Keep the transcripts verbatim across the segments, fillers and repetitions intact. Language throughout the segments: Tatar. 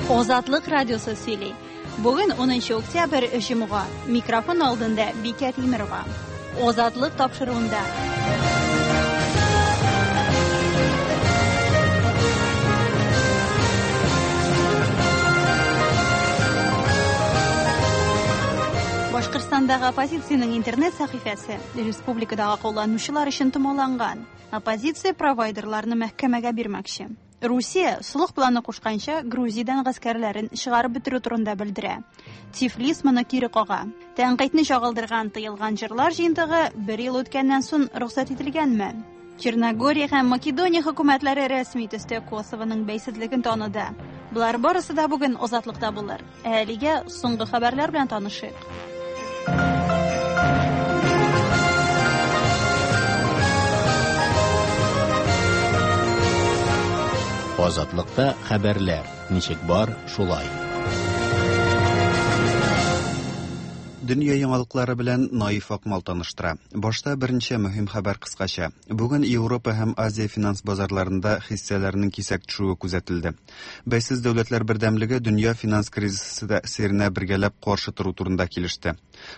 Азатлык радиосы сөйли. Бүген унынчы октябрь, җомга. Микрофон алдында Бикә Тимерова. Азатлык тапшыруында. Башкортстандагы оппозициянең интернет сәхифәсе республикадагы кулланучылар өчен томаланган. Оппозиция провайдерларны мәхкәмәгә бирмәкче. Русия солых планы кушканча Грузиядән гаскәрләрен чыгарып бетерү турында белдерә. Тифлис моны кире кага. Тәнкыйтьне чагылдырган тыелган җырлар җыентыгы бер ел үткәннән соң рөхсәт ителгәнме? Черногория һәм Македония хөкүмәтләре рәсми төстә Косовоның бәйсезлеген таныды. Болар барысы да бүген Азатлыкта булыр. Ә әлегә соңгы хәбәрләр белән танышыйк. Азатлыкта хәбәрләр ничек бар, шулай. Дөнья яңалыклары белән Наиф Акмал таныштыра. Башта берничә мөһим хәбәр кыскача. Бүген Европа һәм Азия финанс базарларында хиссәләрнең кисәк төшүе күзәтелде. Бәйсез дәүләтләр бердәмлеге дөнья финанс кризисы тәэсиренә бергәләп каршы тору турында килеште.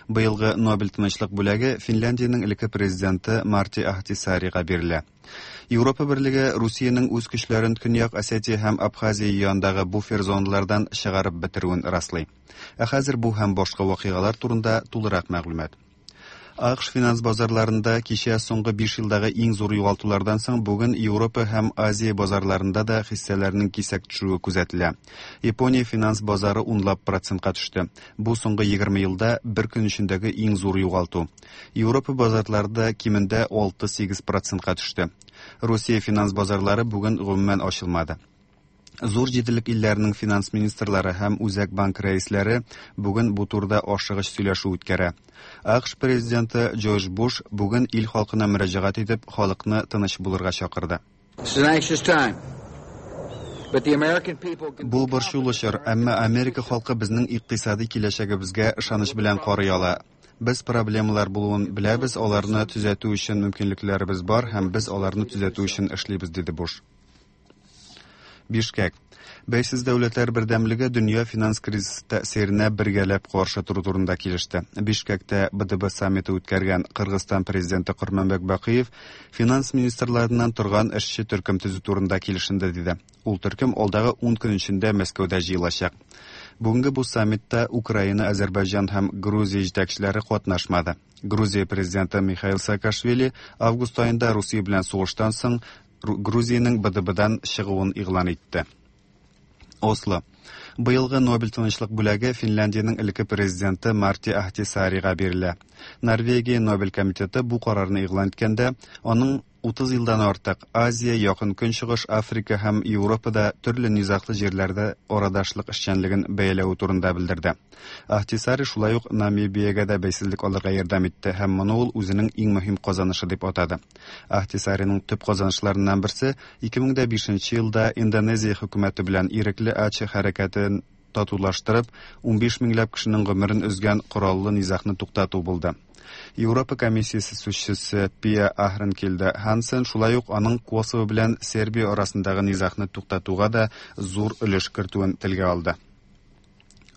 Быелгы Нобель тынычлык бүләге Финляндиянең элекке президенты Марти Ахтисаарига бирелә. Европа берлеге Русиянең үз көчләрен Көньяк Осетия һәм Абхазия янындагы буфер зоналардан чыгарып бетерүен раслый. Ә хәзер бу һәм башка вакыйгалар турында тулырак мәгълүмат. АКШ финанс базарларында кичә соңгы биш елдагы иң зур югалтулардан соң бүген Европа һәм Азия базарларында да хиссәләрнең кисәк төшүе күзәтелә. Япония финанс базары унлап процентка төште. Бу соңгы егерме елда бер көн эчендәге иң зур югалту. Европа базарлары да кимендә алты-сигез процентка төште. Русия финанс базарлары бүген гомумән ачылмады. Зур җиделек илләренең финанс министрлары һәм Үзәк банк рәисләре бүген бу турыда ашыгыч сөйләшү үткәрә. АКШ президенты Джордж Буш бүген ил халкына мөрәҗәгать итеп, халыкны тыныч булырга чакырды. Бу борчулы чор, әмма Америка халкы безнең икътисади киләчәгебезгә ышаныч белән карый ала. Без проблемалар булуын беләбез, аларны төзәтү өчен мөмкинлекләребез бар һәм без аларны төзәтү өчен эшлибез, диде Буш. Бишкек. Бәйсез дәүләтләр бердәмлеге дөнья финанс кризисы тәэсиренә бергәләп каршы тору турында килеште. Бишкектә Б Д Б саммиты үткәргән Кыргызстан президенты Курманбек Бакиев финанс министрларыннан торган эшче төркем төзү турында килешенде, диде. Ул төркем алдагы ун көн эчендә Мәскәүдә җыелачак. Бүгенге бу саммитта Украина, Азербайҗан һәм Грузия җитәкчеләре катнашмады. Грузия президенты Михаил Саакашвили август аенда Русия белән сугыштан соң Грузиянең Б Д Б-дан чыгуын игълан итте. Осло. Быелгы Нобель тынычлык бүләге Финляндиянең элекке президенты Марти Ахтисаарига бирелә. Норвегия Нобель комитеты бу карарны игълан иткәндә, аның утыз елдан артык Азия, Якын Көнчыгыш, Африка һәм Европада төрле низаглы җирләрдә арадашлык эшчәнлеген бәяләве турында белдерде. Ахтисаари шулай ук Намибиягә дә бәйсезлек алырга ярдәм итте һәм моны ул үзенең иң мөһим казанышы дип атады. Ахтисаариның төп казанышларыннан берсе ике мең дә бишенче елда Индонезия хөкүмәте белән ирекле Аче хәрәкәтен татулаштырып, унбиш меңләп кешенең гомерен өзгән кораллы низагны туктату булды. Европа комиссиясе сүзчесе Пия Ахренкельде Хансен шулай ук аның Косово белән Сербия арасындагы низагны туктатуга да зур өлеш кертүен телгә алды.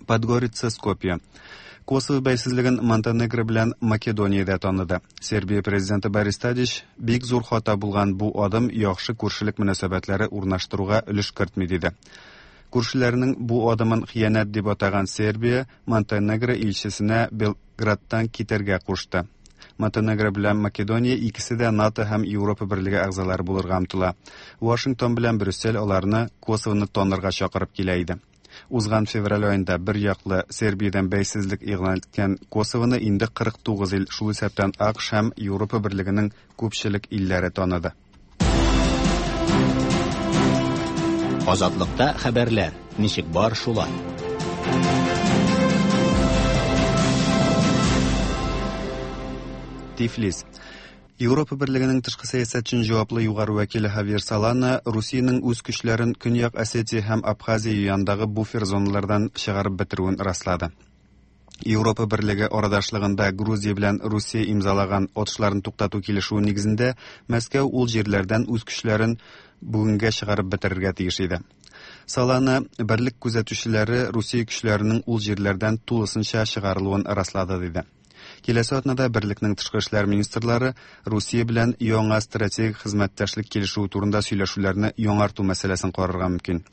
Подгорица, Скопье. Косово бәйсезлеген Монтенегро белән Македониядә таныды. Сербия президенты Борис Тадич бик зур хата булган бу адым яхшы күршелек мөнәсәбәтләре урнаштыруга өлеш кертми, диде. Күршеләренең бу адымын хыянәт дип атаган Сербия Монтенегро илчесенә Белградтан китәргә кушты. Монтенегро белән Македония икесе дә НАТО һәм Европа берлеге әгъзалары булырга омтыла. Вашингтон белән Брюссель аларны Косовоны танырга чакырып килә иде. Узган февраль аенда бер яклы Сербиядән бәйсезлек игълан иткән Косовоны инде кырык тугыз ил, шул исәптән АКШ һәм Европа берлегенең күпчелек илләре таныды. Азатлыкта хәбәрләр ничек бар, шулай. Тифлис. Европа берлегенең тышкы сәясәт өчен җаваплы югары вәкиле Хавьер Солана Русиянең үз көчләрен Көньяк Осетия һәм Абхазия янындагы буфер зоналардан чыгарып бетерүен раслады. Европа берлеге арадашлыгында Грузия белән Русия имзалаган атышларын туктату килешүе нигезендә Мәскәү ул җирләрдән үз көчләрен бүгенгә чыгарып бетерергә тиеш иде. Солана берлек күзәтүчеләре Русия көчләренең ул җирләрдән тулысынча чыгарылуын раслады диде. Киләсе атнада берлекнең тышкы эшләр министрлары Русия белән яңа стратегик хезмәттәшлек килешүе турында сөйләшүләрне яңарту мәсьәләсен карарга мөмкин.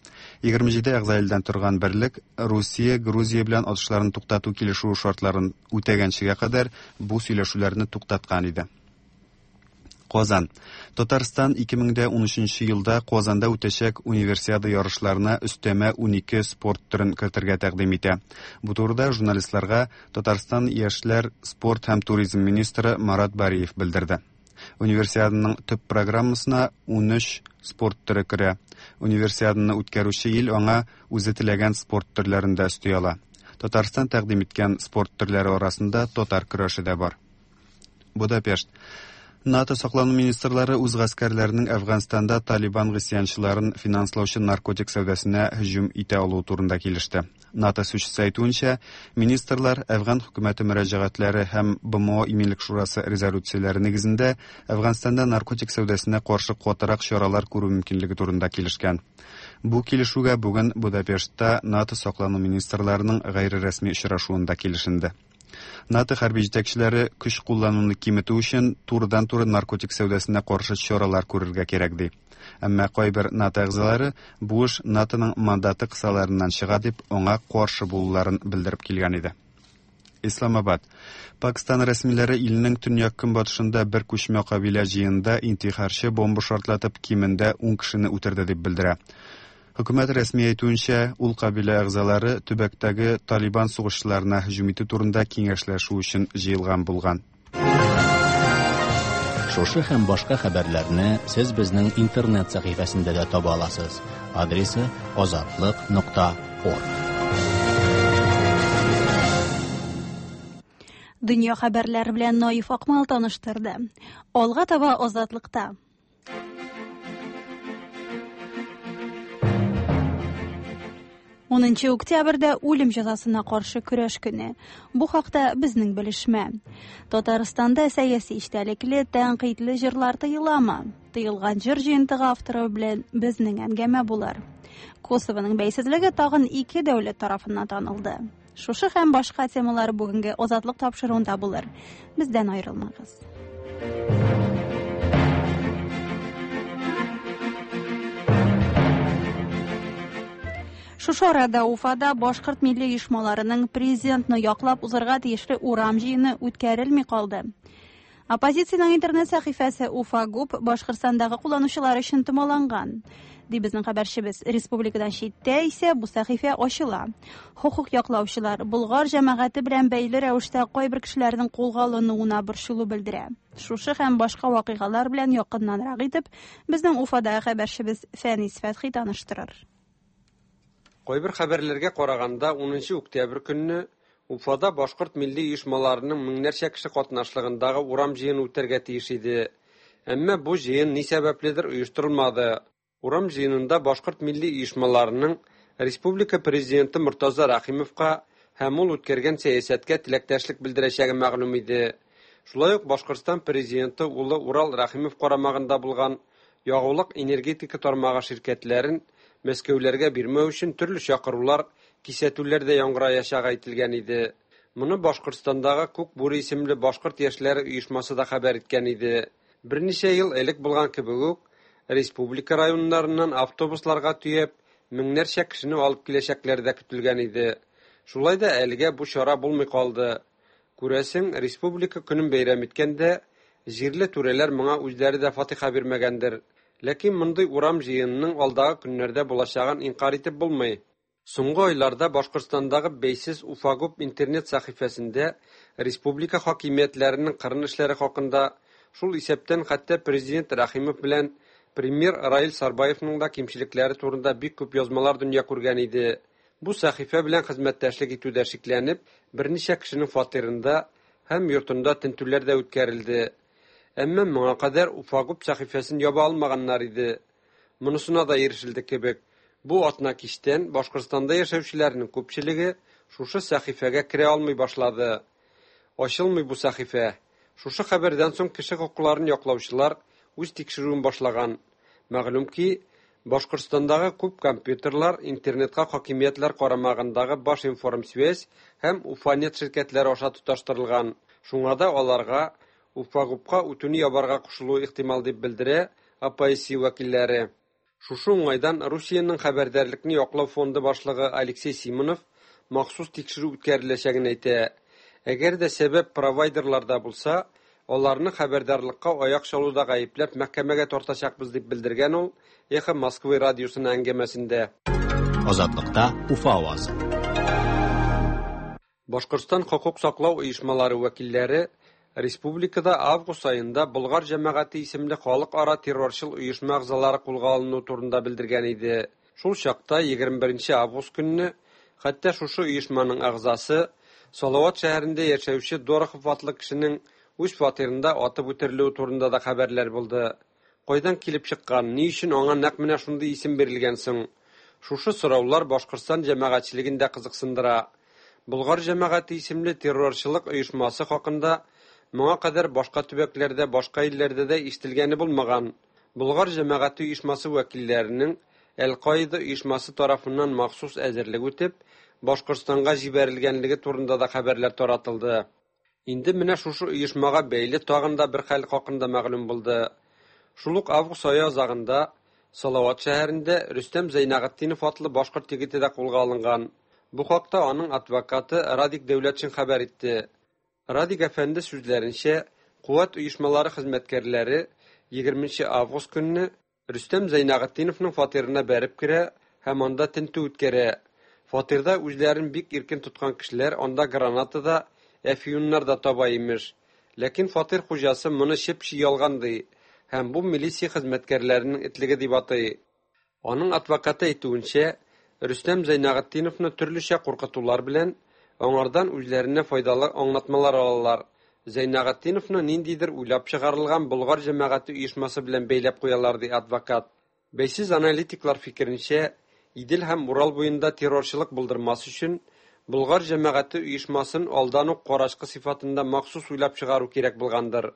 егерме җиде әгъза илдән торган берлек Русия Грузия белән атышларын туктату килешүе шартларын үтәгәнчегә кадәр бу сөйләшүләрне туктаткан иде. Казан. Татарстан ике мең дә унөченче елда Казанда үтәчәк универсиада ярышларына өстәмә унике спорт төрен кертергә тәкъдим итә. Бу турыда журналистларга Татарстан яшьләр, спорт һәм туризм министры Марат Бариев белдерде. Универсиаданың төп программасына унөч спорт төре керә. Универсиаданы үткәрүче ил аңа үзе теләгән спорт төрләрен дә өсти ала. Татарстан тәкъдим иткән спорт төрләре арасында татар көрәше дә бар. Будапешт. НАТО саклану министрлары үз гаскәрләренең Әфганстанда Талибан гыйсьянчыларын финанслаучы наркотик сәүдәсенә һөҗүм итә алуы турында килеште. НАТО сүзчесе әйтүенчә, министрлар Әфган хөкүмәте мөрәҗәгатьләре һәм Б М О Иминлек Шурасы резолюцияләре нигезендә Әфганстанда наркотик сәүдәсенә каршы катырак чаралар күрү мөмкинлеге турында килешкән. Бу килешүгә бүген Будапештта НАТО саклану министрларының гайре рәсми очрашуында килешенде. НАТО хәрби җитәкчеләре көч куллануны киметү өчен турыдан-туры наркотик сәүдәсенә каршы чаралар күрергә кирәк ди. Әмма кайбер НАТО әгъзалары бу эш НАТОның мандаты кысаларыннан чыга дип аңа каршы булуларын белдереп килгән иде. Исламабад. Пакистан рәсмиләре илнең төньяк-көнбатышында бер күчмә кабилә җыенында интихарчы бомба шартлатып кимендә ун кешене үтерде дип белдерә. Хөкүмәт рәсми әйтүенчә, ул кабилә әгъзалары төбәктәге Талибан сугышчыларына һөҗүм итү турында киңәшләшү өчен җыелган булган. Шушы һәм башка хәбәрләрне сез безнең интернет сәхифәсендә дә таба аласыз. Адресы азатлык нокта орг. Дөнья хәбәрләре белән Наиф Акмал таныштырды. Алга таба Азатлыкта. Унынчы октябрьдә үлем җәзасына каршы көрәш көне. Бу хакта безнең белешмә. Татарстанда сәяси эчтәлекле, тәнкыйтьле җырлар тыеламы? Тыелган җыр җыентыгы авторы белән безнең әңгәмә булыр. Косовоның бәйсезлеге тагын ике дәүләт тарафыннан танылды. Шушы һәм башка темалар бүгенге Азатлык тапшыруында булыр. Бездән аерылмагыз. Шушы арада Уфада башкорт милли оешмаларының президентны яклап узарга тиешле урам җыены үткәрелми калды. Оппозициянең интернет сәхифәсе Уфагуп Башкортстандагы кулланучылар өчен томаланган. Ди безнең хәбәрчебез. Республикадан читтә исә бу сәхифә ачыла. Хукук яклаучылар Болгар җәмәгате белән бәйле рәвештә кайбер кешеләрнең кулга алынуына борчылу белдерә. Шушы һәм башка вакыйгалар белән якыннанрак итеп безнең Уфадагы хәбәрчебез Фәнис Фәтхи таныштырыр. Кайбер хәбәрләргә караганда, унынчы октябрь көнне Уфада башкорт милли оешмаларының меңнәрчә кеше катнашлыгындагы урам җыены үтәргә тиеш иде. Әмма бу җыен ни сәбәпледер оештырылмады. Урам җыенында башкорт милли оешмаларының республика президенты Мортаза Рәхимовка һәм ул үткәргән сәясәткә теләктәшлек белдерәчәге мәгълүм иде. Шулай ук Башкортстан президенты улы Урал Рәхимов карамагында булган ягулык энергетика тармагы ширкәтләрен Мәскәүләргә бирмәү өчен төрле чакырулар, кисәтүләр дә яңгыраячагы әйтелгән иде. Моны Башкортстандагы Күк Бүре исемле башкорт яшьләре оешмасы да хәбәр иткән иде. Берничә ел элек булган кебек үк, республика районнарыннан автобусларга төяп, меңнәрчә кешене алып киләчәкләр дә көтелгән иде. Шулай да әлегә бу чара булмый калды. Күрәсең, республика көнен бәйрәм иткәндә, җирле түрәләр моңа үзләре дә фатиха бирмәгәндер. Ләкин мондый урам җыенының алдагы көннәрдә булачагын инкар итеп булмый. Соңгы айларда Башкортстандагы бәйсез Уфагуп интернет сәхифәсендә республика хакимиятләренең кырын эшләре хакында, шул исәптән хәтта президент Рәхимов белән премьер Раил Сарбаевның да кимчелекләре турында бик күп язмалар дөнья күргән иде. Бу сәхифә белән хезмәттәшлек итүдә шикләнеп, берничә кешенең фатирында һәм йортында тентүләр дә үткәрелде. Әмма моңа кадәр Уфагуп сәхифәсен яба алмаганнар иде. Монысына да ирешелде кебек. Бу атна кичтән Башкортстанда яшәүчеләрнең күпчелеге шушы сәхифәгә керә алмый башлады. Ачылмый бу сәхифә. Шушы хәбәрдән соң кеше хокукларын яклаучылар үз тикшерүен башлаган. Мәгълүм ки, Башкортстандагы күп компьютерлар интернетка хакимиятләр карамагындагы Башинформсвязь һәм Уфанет ширкәтләре аша тоташтырылган. Шуңа да аларга Уфагупка үтүне ябарга кушылуы ихтимал дип белдерә А П С вәкилләре. Шушы уңайдан Русиянең хәбәрдарлекне яклау фонды башлыгы Алексей Симонов махсус тикшерү үткәреләчәген әйтә. Әгәр дә сәбәп провайдерларда булса, аларны хәбәрдарлыкка аяк чалуда гаепләп мәхкәмәгә тартачакбыз дип белдергән ул Эхо Москвы радиосына әңгәмәсендә. Азатлыкта Уфа авазы. Башкортстан хокук саклау оешмалары вәкилләре республикада август аенда Болгар җәмәгате исемле халыкара террорчыл оешма әгъзалары кулга алыну турында белдергән иде. Шул чакта егерме беренче август көнне хәтта шушы оешманың әгъзасы Салават шәһәрендә яшәүче Дорохов атлы кешенең үз фатирында атып үтерелүе турында да хәбәрләр булды. Кайдан килеп чыккан, ни өчен аңа нәкъ менә шундый исем бирелгән соң? Шушы сораулар Башкортстан җәмәгатьчелеген дә кызыксындыра. Болгар җәмәгате исемле террорчылык оешмасы хакында моңа кадәр башка төбәкләрдә, башка илләрдә дә ишетелгәне булмаган. Болгар җәмәгате оешмасы вәкилләренең Әл-Каида оешмасы тарафыннан махсус әзерлек үтеп, Башкортстанга җибәрелгәнлеге турында да хәбәрләр таратылды. Инде менә шушы оешмага бәйле тагын да бер хәл хакында мәгълүм булды. Шул ук август ае азагында Салават шәһәрендә Рөстәм Зәйнәгытдинов атлы башкорт егете дә кулга алынган. Бу хакта аның адвокаты Радик Дәүләтшин хәбәр итте. Радик әфәнде сүзләренчә, куәт оешмалары хезмәткәрләре егерменче август көнне Рөстәм Зәйнәгытдиновның фатирына бәреп керә һәм анда тентү үткәрә. Фатирда үзләрен бик иркен тоткан кешеләр анда граната да, әфьюннар да таба имеш. Ләкин фатир хуҗасы моны чеп-чи ялган ди һәм бу милиция хезмәткәрләренең этлеге дип атый. Аның адвокаты әйтүенчә, Рөстәм Зәйнәгытдиновны төрлечә куркытулар белән аңардан үзләренә файдалы аңлатмалар алалар. Зәйнәгытдиновны ниндидер уйлап чыгарылган Болгар җәмәгате оешмасы белән бәйләп куялар, ди адвокат. Бәйсез аналитиклар фикеренчә, Идел һәм Урал буенда террорчылык булдырмас өчен Болгар җәмәгате оешмасын алдан ук карачкы сыйфатында махсус уйлап чыгару кирәк булгандыр.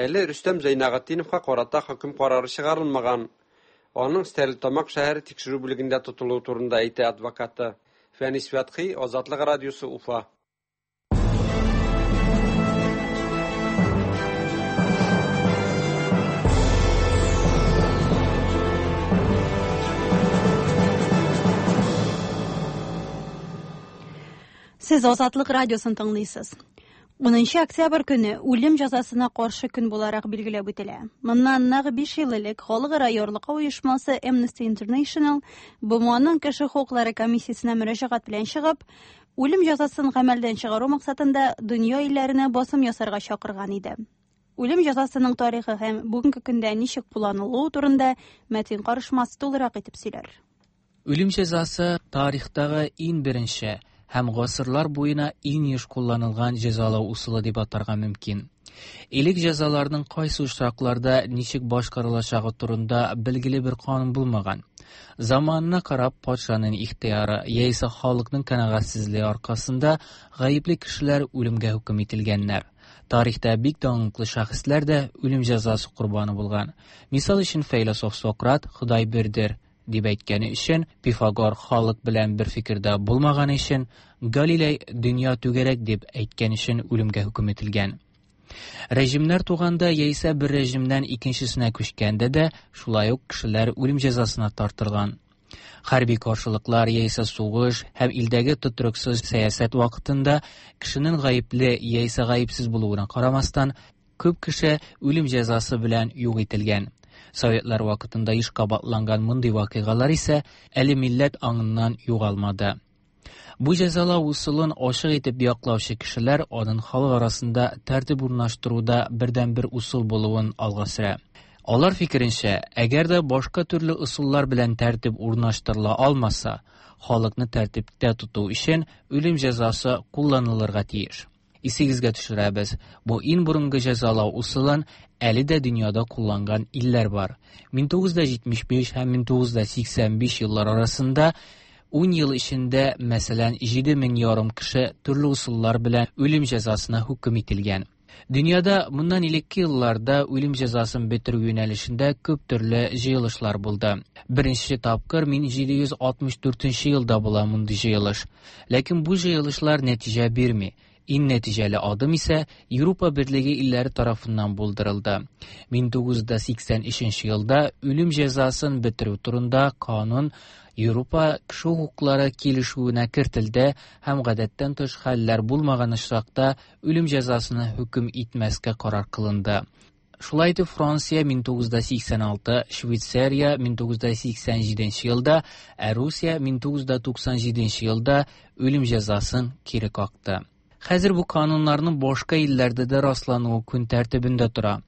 Әле Рөстәм Зәйнәгытдиновка карата хөкем карары чыгарылмаган. Аның Стәрлетамак шәһәре тикшерү бүлегендә тотылуы турында әйтә адвокаты. Фәнис Фәтхи, Азатлык радиосы, Уфа. Сез Азатлык радиосын тыңлыйсыз. Унынчы октябрь көне үлем җәзасына каршы көн буларак билгеләп үтелә. Моннан нәкъ биш ел элек Халыкара ярлыкау оешмасы Amnesty International Б М Оның кеше хокуклары комиссиясенә мөрәҗәгать белән чыгып, үлем җәзасын гамәлдән чыгару максатында дөнья илләренә басым ясарга чакырган иде. Үлем җәзасының тарихы һәм бүгенге көндә ничек кулланылуы турында Мәтин Карышмас тулырак итеп сөйләр. Үлем җәзасы тарихтагы иң беренче һәм гасырлар буена иң еш кулланылган җәзалау ысулы дип атарга мөмкин. Элек җәзаларның кайсы очракларда ничек башкарылачагы турында билгеле бер канун булмаган. Заманына карап патшаның ихтыяры яисә халыкның канәгатьсезлеге аркасында гаепле кешеләр үлемгә хөкем ителгәннәр. Тарихта бик данлыклы шәхесләр дә үлем җәзасы корбаны булган. Мисал өчен фәйләсуф Сократ Ходай бердер дип әйткәне өчен, Пифагор халык белән бер фикердә булмаган өчен, Галилей дөнья түгәрәк дип әйткән өчен үлемгә хөкем ителгән. Режимнәр туганда яисә бер режимнән икенчесенә күчкәндә дә шулай ук кешеләр үлем җәзасына тартылган. Хәрби каршылыклар яисә сугыш һәм илдәге тотрыксыз сәясәт вакытында кешенең гаепле яисә гаепсез булуына карамастан, күп кеше үлем җәзасы белән юк ителгән. Советлар вакытында еш кабатланган мондый вакыйгалар исә әле милләт аңыннан югалмады. Бу җәзалау ысулын ачык итеп яклаучы кешеләр аның халык арасында тәртип урнаштыруда бердәнбер ысул булуын алга сөрә. Алар фикеренчә, әгәр дә башка төрле ысуллар белән тәртип урнаштырыла алмаса, халыкны тәртиптә тоту өчен үлем җәзасы кулланылырга тиеш. Исегезгә төшерәбез, бу иң борынгы җәзалау ысулын әле дә дөньяда кулланган илләр бар. Мең тугыз йөз җитмеш биш һәм мең тугыз йөз сиксән биш еллар арасында ун ел эчендә, мәсәлән, җиде мең ярым кеше төрле ысуллар белән үлем җәзасына хөкем ителгән. Дөньяда моннан элекке елларда үлем җәзасын бетерү юнәлешендә күп төрле җыелышлар булды. Беренче тапкыр мең җиде йөз алтмыш дүртенче елда була мондый җыелыш. Ләкин бу җыелышлар нәтиҗә бирми. Иң нәтиҗәле адым исә Европа Берлеге илләре тарафыннан булдырылды. мең тугыз йөз сиксән өченче елда үлем җәзасын бетерү турында канун Европа кеше хокуклары килешүенә кертелде һәм гадәттән тыш хәлләр булмаган очракта үлем җәзасына хөкем итмәскә карар кылынды. Шулай итеп Франция мең тугыз йөз сиксән алты, Швейцария мең тугыз йөз сиксән җиденче елда, ә Русия мең тугыз йөз туксан җиденче елда үлем җәзасын кире какты. Хәзер бу кануннарның башка илләрдә дә раслануы көн тәртибендә тора.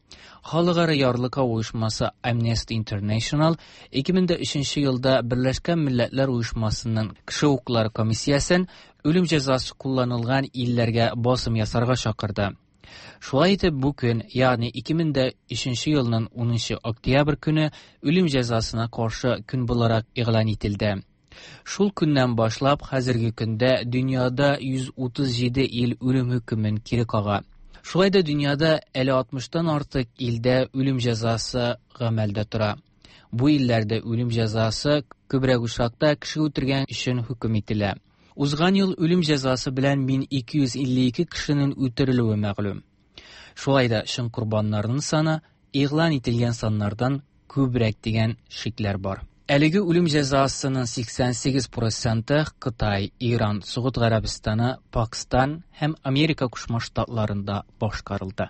Халыкара ярлыкау оешмасы Amnesty International ике мең өченче елда Берләшкән Милләтләр Оешмасының кеше хокуклары комиссиясен үлем җәзасы кулланылган илләргә басым ясарга чакырды. Шулай итеп бу көн, ягъни ике мең өченче елның унынчы октябрь көне үлем җәзасына каршы көн буларак игълан ителде. Шул көннән башлап хәзерге көндә дөньяда йөз утыз җиде ил үлем хөкемен кире кага. Шулай да дөньяда әле алтмыштан артык илдә үлем җәзасы гамәлдә тора. Бу илләрдә үлем җәзасы күбрәк очракта кеше үтергән өчен хөкем ителә. Узган ел үлем җәзасы белән мең ике йөз илле ике кешенең үтерелүе мәгълүм. Шулай да чын корбаннарның саны игълан ителгән саннардан күбрәк дигән шикләр бар. Әлеге үлем җәзасының сиксән сигез проценты Кытай, Иран, Согуд Гарәбстаны, Пакистан һәм Америка Кушма Штатларында башкарылды.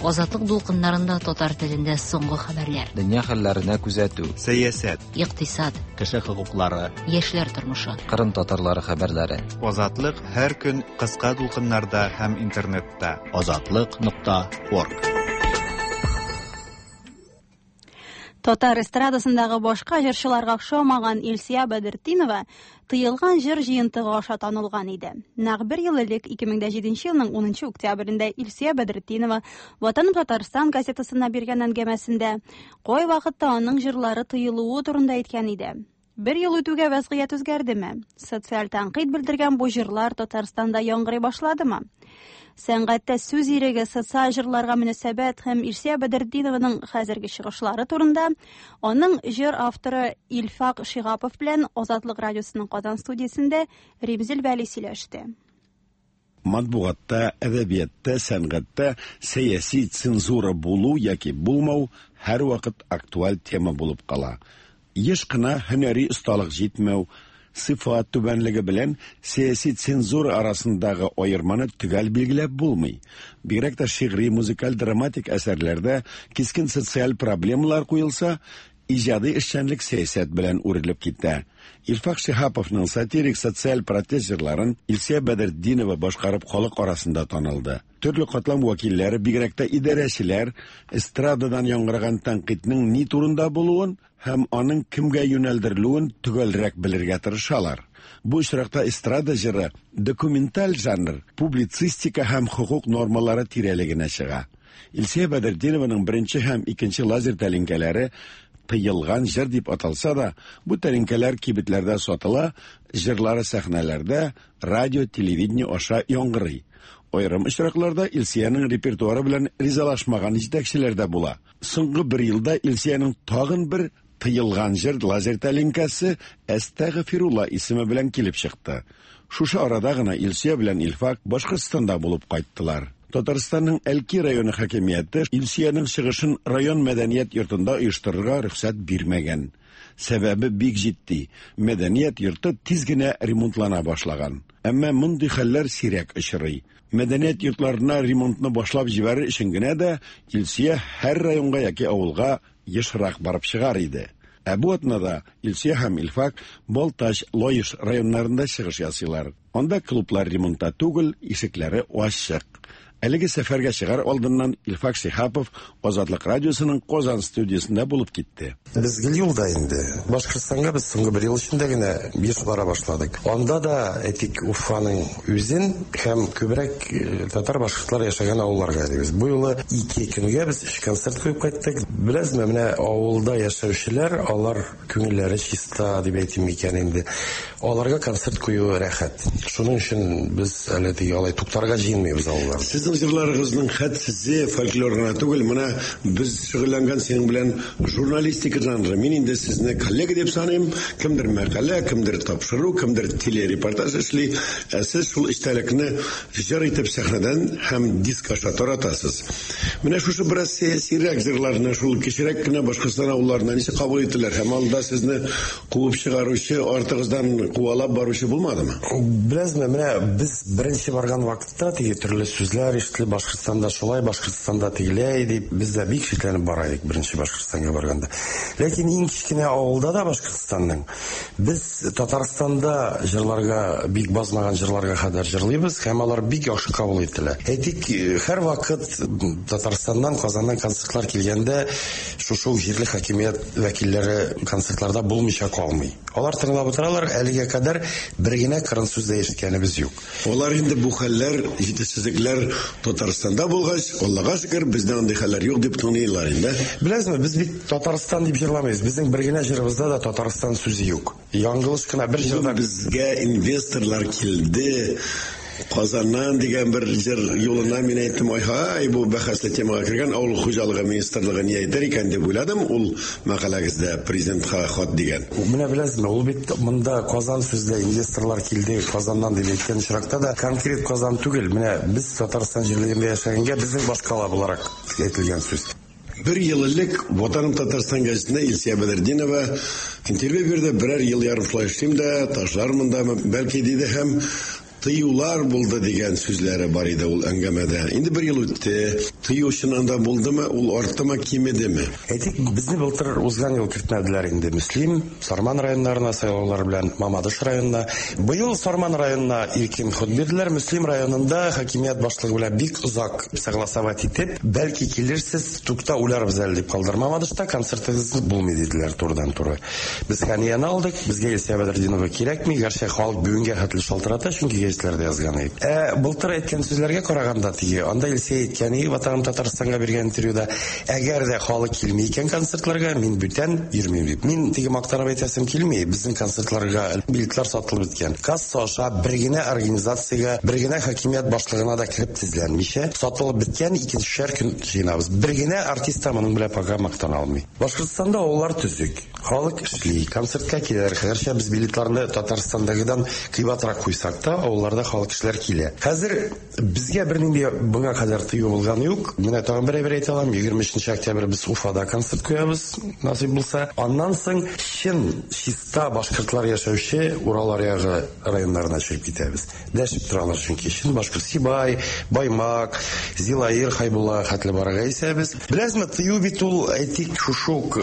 Азатлык дулкыннарында татар телендә соңгы хәбәрләр. Дөнья хәлләренә күзәтү, сәясәт, икътисад, кеше хокуклары, яшьләр тормышы, Кырым татарлары хәбәрләре. Азатлык һәр көн кыска дулкыннарда һәм интернетта. Азатлык нокта орг. Татар эстрадасындагы башка җырчыларга охшамаган Илсөя Бәдертдинова тыелган җыр җыентыгы аша танылган иде. Нәкъ бер ел элек ике мең җиденче елның унынчы октябрендә Илсөя Бәдертдинова Ватаным Татарстан газетасына биргән әңгәмәсендә кай вакытта аның җырлары тыелуы турында әйткән иде. Бер ел үтүгә вәзгыять үзгәрдеме? Социаль тәнкыйть белдергән бу җырлар Татарстанда яңгырый башладымы? Сәнгатьтә сүз иреге, социаль җырларга мөнәсәбәт һәм Илсөя Бәдертдинованың хәзерге чыгышлары турында аның җыр авторы Илфак Шиһапов белән Азатлык радиосының Казан студиясендә Римзил Вәли сөйләште. Матбугатта, әдәбиятта, сәнгатьтә сәяси цензура булу яки булмау һәрвакыт актуаль тема булып кала. Еш кына һөнәри осталык җитмәү, сыйфат түбәнлеге белән сәяси цензура арасындагы аерманы төгәл билгеләп булмый. Бигрәк тә шигъри, музыкаль, драматик әсәрләрдә кискен социаль проблемалар куелса, иҗади эшчәнлек сәясәт белән үрелеп китә. Илфак Шиһаповның сатирик социаль протест җырларын Илсөя Бәдертдинова башкарып халык арасында танылды. Төрле катлам вәкилләре, бигрәк тә идарәчеләр, эстрададан яңгыраган тәнкыйтьнең ни турында булуын һәм аның кемгә юнәлдерелүен төгәлрәк белергә тырышалар. Бу очракта эстрада җыры документаль жанр, публицистика һәм хокук нормалары тирәлегенә чыга. Илсөя Бәдертдинованың беренче һәм икенче лазер тәлинкәләре тыелган җыр дип аталса да, бу тәлинкәләр кибетләрдә сатыла, җырлары сәхнәләрдә, радио, телевидение аша яңгырый. Аерым очракларда Илсөянең репертуары белән ризалашмаган җитәкчеләр дә була. Соңгы бер елда Илсөянең тагын бер тыелган җыр лазер тәлинкәсе Әстәгъфирулла исеме белән килеп чыкты. Шушы арада гына Илсөя белән Илфак Башкортстанда булып кайттылар. Татарстанның Әлки районы хакимияте Илсөянең чыгышын район мәдәният йортында оештырырга рөхсәт бирмәгән. Сәбәбе бик җитди. Мәдәният йорты тиз генә ремонтлана башлаган. Әмма мондый хәлләр сирәк очрый. Мәдәният йортларына ремонтны башлап җибәрер өчен генә дә Илсөя һәр районга яки авылга ешрак барып чыгар иде. Ә бу атнада Илсөя һәм Илфак Балтач, Лаеш районнарында чыгыш ясыйлар. Анда клублар ремонтта түгел, ишекләре ачык. Әлеге сәфәргә чыгар алдыннан Илфак Шиһапов Азатлык радиосының Казан студиясендә булып китте. Без гел юлда инде. Башкортстанга без соңгы бер ел эчендә генә еш бара башладык. Анда да әйтик Уфаның үзен һәм күбрәк татар башкортлар яшәгән авылларга йөрибез. Бу юлы ике көнгә без өч концерт куеп кайттык. Беләсезме, менә авылда яшәүчеләр, алар күңелләре чиста дип әйтим микән инде. Аларга концерт кую рәхәт. Шуның өчен без әле теге алай туктарга җыенмыйбыз авылларда. Сезнең җырларыгызның хәтсезе фольклор гына түгел, менә без шөгыльләнгән синең белән журналистика жанры. Мин инде сезне коллега дип саныйм. Кемдер мәкалә, кемдер тапшыру, кемдер телерепортаж эшли. Ә сез шул эчтәлекне җыр итеп сәхнәдән һәм диск аша таратасыз. Менә шушы бераз сәясирәк җырларны шул кечерәк кенә Башкортстан авылларына ничек кабул иттеләр һәм анда сезне куып чыгаручы, артыгыздан куалап баручы булмадымы? Беләсезме, менә без беренче барган вакытта теге төрле сүзләр ишетелеп, Башкортстанда шулай, Башкортстанда тегеләй дип, без дә бик шикләнеп бара идек беренче Башкортстанга барганда. Ләкин иң кечкенә авылда да Башкортстанның без Татарстанда җырларга бик базмаган җырларга кадәр җырлыйбыз һәм алар бик яхшы кабул ителә. Әйтик, һәр вакыт Татарстаннан, Казаннан концертлар килгәндә шушы ук җирле хакимият вәкилләре концертларда булмыйча калмый. Алар тыңлап утыралар, әлегә кадәр бер генә кырын сүз дә ишеткәнебез юк. Алар инде бу хәлләр, җитешсезлекләр Татарстанда булгач, Аллага шөкер, бездә андый хәлләр юк дип тыңлыйлар инде. Беләсезме, без бит Татарстан дип җырламыйбыз. Безнең бер генә җырыбызда да Татарстан сүзе юк. Яңгылыш кына бер җырда безгә инвесторлар килде. Казаннан дигән бер җыр юлына мин әйттем, ай-һай, бу бәхәсле темага кергән авыл хуҗалыгы министрлыгы ни әйтер икән дип уйладым. Ул мәкаләгездә президентка хат дигән. Менә беләсезме, ул бит монда Казан сүздә инвесторлар килде Казаннан дип әйткән очракта да конкрет Казан түгел. Менә без Татарстан җирлегендә яшәгәнгә безнең башкала буларак әйтелгән сүз. Бер ел элек Ватаным Татарстан гәзитенә Илсөя Бәдретдинова интервью бирде. Берәр ел ярым шулай эшлим дә, ташлармын да, бәлки диде һәм тыюлар булды дигән сүзләре бар иде ул әңгәмәдә. Инде бер ел үтте. Тыю чыннан да булдымы, ул арттымы, кимедеме? Әйтик, безне былтыр узган ел кертмәделәр инде Мөслим, Сарман районнарына сайлаулар белән Мамадыш районына. Быел Сарман районына иркен ход бирделәр. Мөслим районында хакимият башлыгы белән бик озак согласовать итеп, бәлки килерсез, тукта уйларбыз әле дип калдыр. Мамадышта концертыгыз булмый диделәр турыдан-туры. Без Ханияны алдык, безгә Илсөя Бәдретдинова кирәкми, гәрчә халык бүгенгә хәтле шалтырата, чөнки гәзитләрдә язган иде. Ә былтыр әйткән сүзләргә караганда теге, анда Илсөя әйткән иде, Ватаным Татарстанга биргән интервьюда, әгәр дә халык килми икән концертларга, мин бүтән йөрмим дип. Мин теге мактанып әйтәсем килми, безнең концертларга билетлар сатылып беткән. Касса аша бер генә организациягә, бер генә хакимият башлыгына да кереп тезләнмичә, сатылып беткән икенчешәр көн җыйнабыз. Бер генә артист та моның белән пока мактана алмый. Башкортстанда авыллар төзек, халык эшли, концертка киләләр. Гәрчә без билетларны Татарстандагыдан кыйбатрак куйсак та, авылларда халык кешеләр килә. Хәзер безгә бернинди моңа кадәр тыю булган юк. Менә тагын бер әйбер әйтә алам. егерме өченче октябрь без Уфада концерт куябыз, насыйп булса. Аннан соң чын чиста башкортлар яшәүче Урал аръягы районнарына чыгып китәбез. Дәшеп торалар чөнки чын башкорт Сибай, Баймак, Зилаир, Хайбулла хәтле барырга исәбез. Беләсезме, тыю бит ул әйтик шушы ук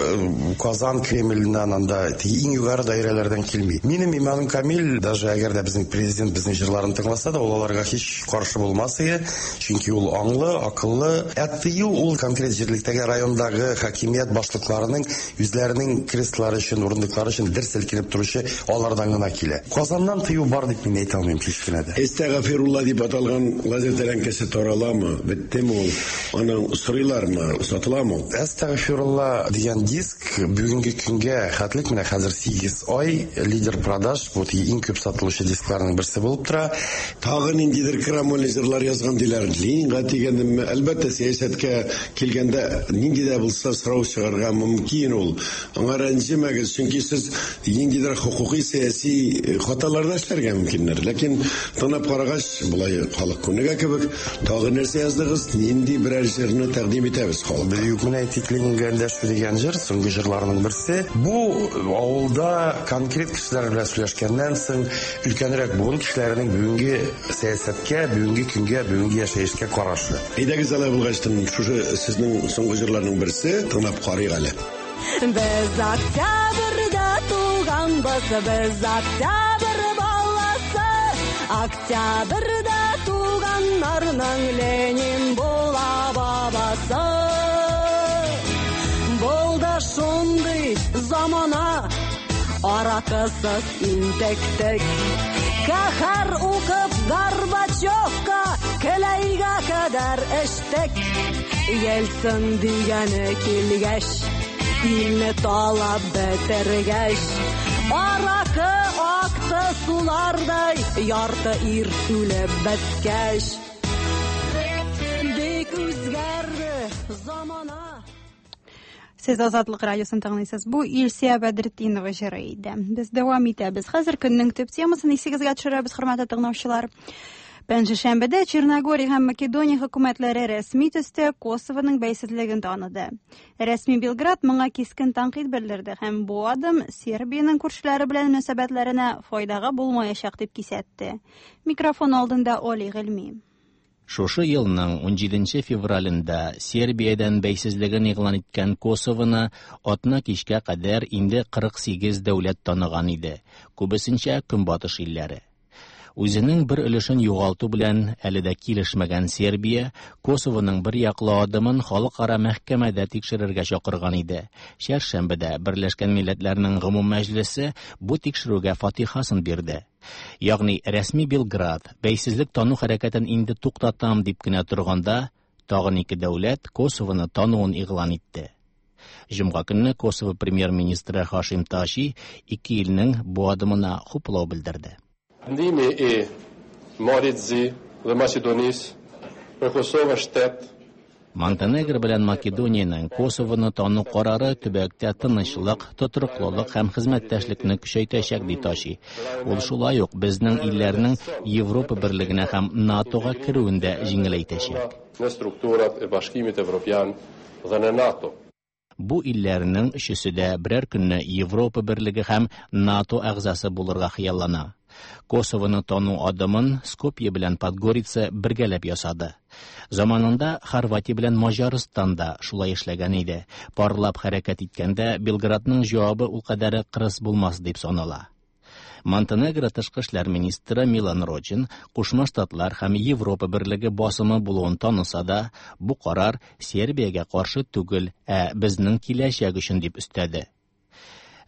Казан Кремленнән анда иң югары даирәләрдән килми. Минем иманым камил, даже әгәр дә безнең президент безнең җырларын тыңласа да, ул аларга һич каршы булмас иде, чөнки ул аңлы, акыллы. Ә тыю ул конкрет җирлектәге райондагы хакимият башлыкларының үзләренең креслары өчен, урындыклары өчен дер селкенеп торучы алардан гына килә. Казаннан тыю бар дип мин әйтә алмыйм һич кенә дә. Әстәгъфирулла дип аталган газета ләнкәсе тараламы? Беттеме ул? Аның сорыйлармы? Сатыламы? Әстәгъфирулла дигән диск бүгенге көнгә хәтлек менә хәзер сигез ай лидер продаж, бу иң күп сатылучы дискларның берсе булып тора. Тагы ниндидер крамольный җырлар язган диләр. Ленинга дигәнме? Әлбәттә, сәясәткә килгәндә нинди дә булса сорау чыгарга мөмкин ул. Аңа рәнҗемәгез, чөнки сез ниндидер хукукый сәяси хаталар да эшләргә мөмкиннәр. Ләкин тыңлап карагач, болай халык күнегә кебек, тагы нәрсә яздыгыз, нинди берәр җырны тәкъдим итәбез халыкка. Юк, менә әйтик, Ленинга эндәшү дигән җыр, соңгы җырларның берсе. Бу авылда конкрет кешеләр белән сөйләшкәннән соң, өлкәнрәк буын кешеләренең бүгенге сәясәткә, бүгенге көнгә, бүгенге яшәешкә карашы. Әйдәгез алай булгачтын, шушы сезнең соңгы җырларның берсе, тыңлап карыйк әле. Без октябрьдә туганбыз, без октябрь баласы, октябрьдә туганнар Аларның Ленин була бабасы. Булды шундый замана, аракысыз интектек. Каһәр укып Горбачевка келәйгә кадәр эчтек. Ельцин дигәне килгәч, илне талап бетергәч, аракы акты сулардай, ярты ир үлеп беткәч. Бик үзгәрде замана. Сез Азатлык радиосын тыңлыйсыз. Бу Илсия Бәдретдинова җыры иде. Без дәвам итәбез. Хәзер көннең төп темасын исегезгә төшерәбез, хөрмәтле тыңлаучылар. Пәнҗешәмбедә Черногория һәм Македония хөкүмәтләре рәсми төстә Косовоның бәйсезлеген таныды. Рәсми Белград моңа кискен тәнкыйть белдерде һәм бу адым Сербиянең күршеләре белән мөнәсәбәтләренә файдага булмаячак дип кисәтте. Микрофон алдында Оли Гыйльми. Шушы елның унҗиденче февралендә Сербиядән бәйсезлеген игълан иткән Косовоны атна кичкә кадәр инде кырык сигез дәүләт таныган иде, күбесенчә Көнбатыш илләре. Үзенең бер өлешен югалту белән әле дә килешмәгән Сербия Косовоның бер яклы адымын халыкара мәхкәмәдә тикшерергә чакырган иде. Чәршәмбедә Берләшкән Милләтләрнең Гомум Мәҗлесе бу тикшерүгә фатихасын бирде. Ягъни рәсми Белград бәйсезлек тану хәрәкәтен инде туктатам дип кенә торганда, тагын ике дәүләт Косовоны тануын игълан итте. Җомга көнне Косово премьер-министры Хашим Таши ике илнең бу адымына хуплау белдерде. Ndimi i Malit Zi dhe Maqedonisë për Kosovën shtet. Монтенегро белән Македониянең Косовоны тану карары төбәктә тынычлык, тотрыклылык һәм хезмәттәшлекне көчәйтәчәк, ди Таши. Ул шулай ук безнең илләрнең Европа берлегенә һәм НАТОга керүен дә җиңеләйтәчәк. Në strukturat e Bashkimit Evropian dhe në NATO. Бу илләрнең өчесе дә берәр көнне Европа берлеге һәм НАТО әгъзасы булырга хыяллана. Косовоны тану адымын Скопье белән Подгорица бергәләп ясады. Заманында Хорватия белән Маҗарстан да шулай эшләгән иде. Парлап хәрәкәт иткәндә Белградның җавабы ул кадәр кырыс булмас дип санала. Монтенегро тышкы эшләр министры Милан Рочин Кушма Штатлар һәм Европа берлеге басымы булуын таныса да, бу карар Сербиягә каршы түгел, ә безнең киләчәк өчен дип өстәде.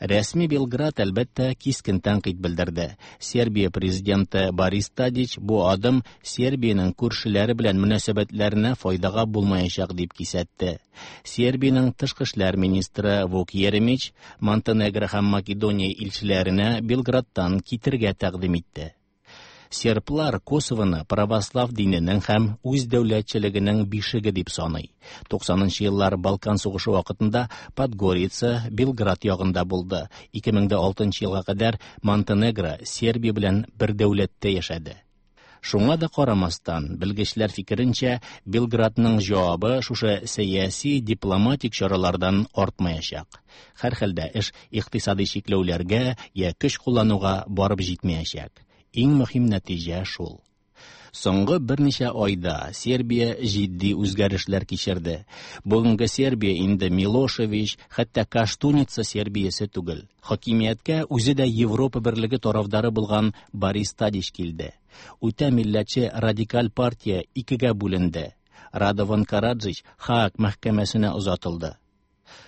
Рәсми Белград әлбәттә кискен тәнкыйть белдерде. Сербия президенты Борис Тадич бу адым Сербиянең күршеләре белән мөнәсәбәтләренә файдага булмаячак дип кисәтте. Сербиянең тышкы эшләр министры Вук Еремич Монтенегро һәм Македония илчеләренә Белградтан китергә тәкъдим итте. Серблар Косовоны православ диненең һәм үз дәүләтчелегенең бишеге дип саный. Туксанынчы еллар Балкан сугышы вакытында Подгорица Белград ягында булды. Ике мең дә алтынчы елга кадәр Монтенегро Сербия белән бер дәүләттә яшәде. Шуңа да карамастан, белгечләр фикеренчә, Белградның җавабы шушы сәяси дипломатик чаралардан артмаячак. Һәрхәлдә эш икътисади чикләүләргә я көч куллануга барып җитмәячәк. Иң мөһим нәтиҗә шул. Соңгы берничә айда Сербия җитди үзгәрешләр кичерде. Бүгенге Сербия инде Милошевич, хәтта Каштуница Сербиясе түгел. Хакимияткә үзе дә Европа берлеге тарафдары булган Борис Тадич килде. Үтә милләтче радикаль партия икегә бүленде. Радован Караджич Хааг мәхкәмәсенә озатылды.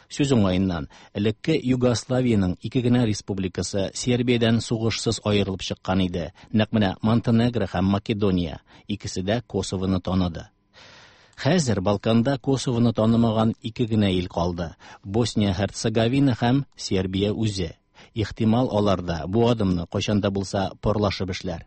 Сүз уңаеннан, элекке Югославиянең ике генә республикасы Сербиядән сугышсыз аерылып чыккан иде. Нәкъ менә Монтенегро һәм Македония икесе дә Косовоны таныды. Хәзер Балканда Косовоны танымаган ике генә ил калды: Босния-Һерцеговина һәм Сербия үзе. Ихтимал алар да бу адымны кайчан да булса парлашып эшләр.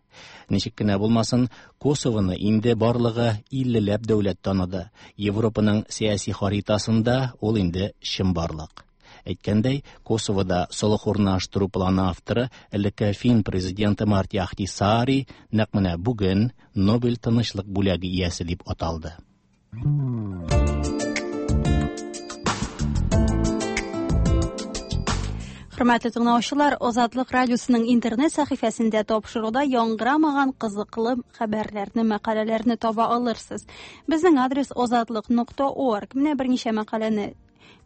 Ничек кенә булмасын, Косовоны инде барлыгы иллеләп дәүләт таныды. Европаның сәяси харитасында ул инде чынбарлык. Әйткәндәй, Косовода солых урнаштыру планы авторы элекке фин президенты Марти Ахтисаари нәкъ менә бүген Нобель тынычлык бүләге иясе дип аталды. Хөрмәтле тыңлаучылар, Азатлык радиосының интернет сәхифәсендә тапшыруда яңгырамаган кызыклы хәбәрләрне, мәкаләләрне таба алырсыз. Безнең адрес азатлык нокта орг. Менә берничә мәкаләне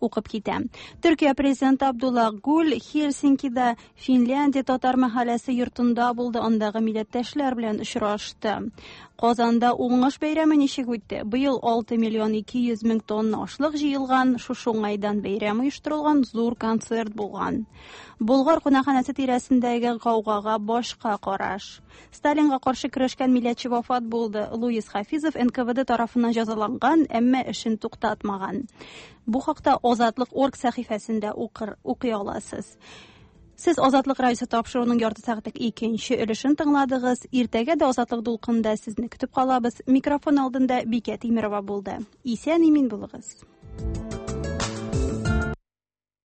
укып китәм. Төркия президенты Абдулла Гүл Хельсинкида Финляндия татар мәхәлләсе йортында булды, андагы милләттәшләр белән очрашты. Казанда уңыш бәйрәме ничек үтте? Быел алты миллион ике йөз мең тонна ашлык җыелган, шушы уңайдан бәйрәм оештырылган, зур концерт булган. Болгар кунакханәсе тирәсендәге гаугага башка караш. Сталинга каршы көрәшкән милләтче вафат булды. Луис Хафизов эн ка вэ дэ тарафыннан җәзаланган, әмма эшен туктатмаган. Бу хакта Азатлык орг сәхифәсендә укыр, укый аласыз. Сез Азатлык радиосы тапшыруының ярты сәгатьлек икенче өлешен тыңладыгыз. Иртәгә дә Азатлык дулкынында сезне көтеп калабыз. Микрофон алдында Бикә Тимирова булды. Исән имин булыгыз.